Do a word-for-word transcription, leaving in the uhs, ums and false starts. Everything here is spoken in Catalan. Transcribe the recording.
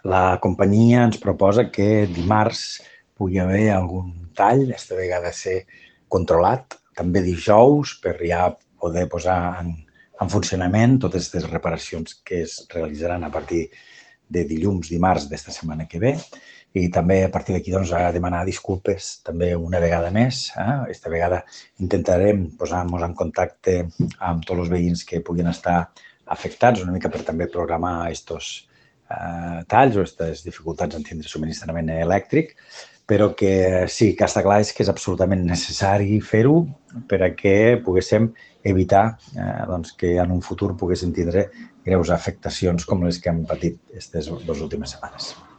la companyia ens proposa que dimarts pugui haver algun tall, aquesta vegada ser controlat, també dijous, per ja poder posar en, en funcionament totes les reparacions que es realitzaran a partir de dilluns, dimarts d'esta setmana que ve, i també a partir d'aquí doncs, a demanar disculpes també una vegada més. Eh? Esta vegada intentarem posar-nos en contacte amb tots els veïns que puguin estar afectats, una mica per també programar aquests eh, talls o aquestes dificultats en tindre subministrament elèctric, però que sí que està clar és que és absolutament necessari fer-ho per a que poguéssim evitar eh, doncs, que en un futur poguéssim tindre greus afectacions com les que hem patit aquestes dues últimes setmanes.